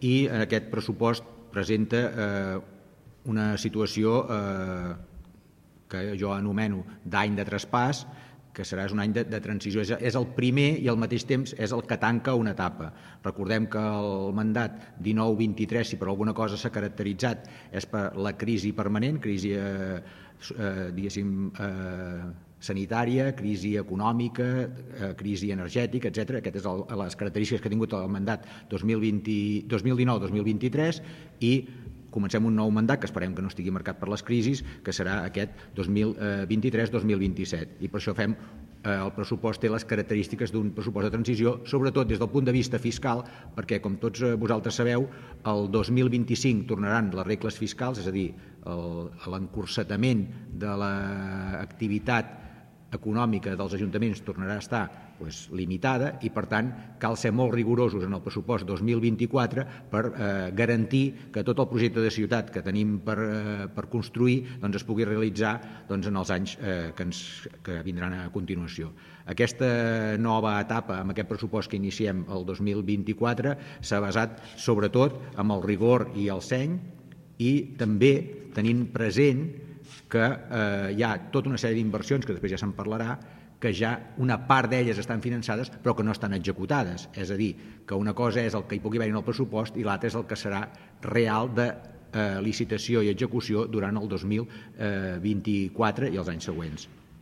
i aquest pressupost presenta una situació que jo anomeno d'any de traspàs, que serà un any de transició. És el primer i al mateix temps és el que tanca una etapa. Recordem que el mandat 19-23, si per alguna cosa s'ha caracteritzat, és per la crisi permanent, crisi diguéssim sanitària, crisi econòmica, crisi energètica, etc. Aquestes són les característiques que ha tingut el mandat 2019-2023 i comencem un nou mandat que esperem que no estigui marcat per les crisis, que serà aquest 2023-2027. I per això fem el pressupost té les característiques d'un pressupost de transició, sobretot des del punt de vista fiscal, perquè, com tots vosaltres sabeu, el 2025 tornaran les regles fiscals, és a dir, l'encursetament de l'activitat econòmica dels ajuntaments tornarà a estar limitada i, per tant, cal ser molt rigorosos en el pressupost 2024 per garantir que tot el projecte de ciutat que tenim per construir es pugui realitzar en els anys que vindran a continuació. Aquesta nova etapa, amb aquest pressupost que iniciem el 2024, s'ha basat sobretot en el rigor i el seny i també tenint present que hi ha tota una sèrie d'inversions, que després ja se'n parlarà, que ja una part d'elles estan finançades però que no estan executades. És a dir, que una cosa és el que hi pugui haver en el pressupost i l'altra és el que serà real de licitació i execució durant el 2024 i els anys següents.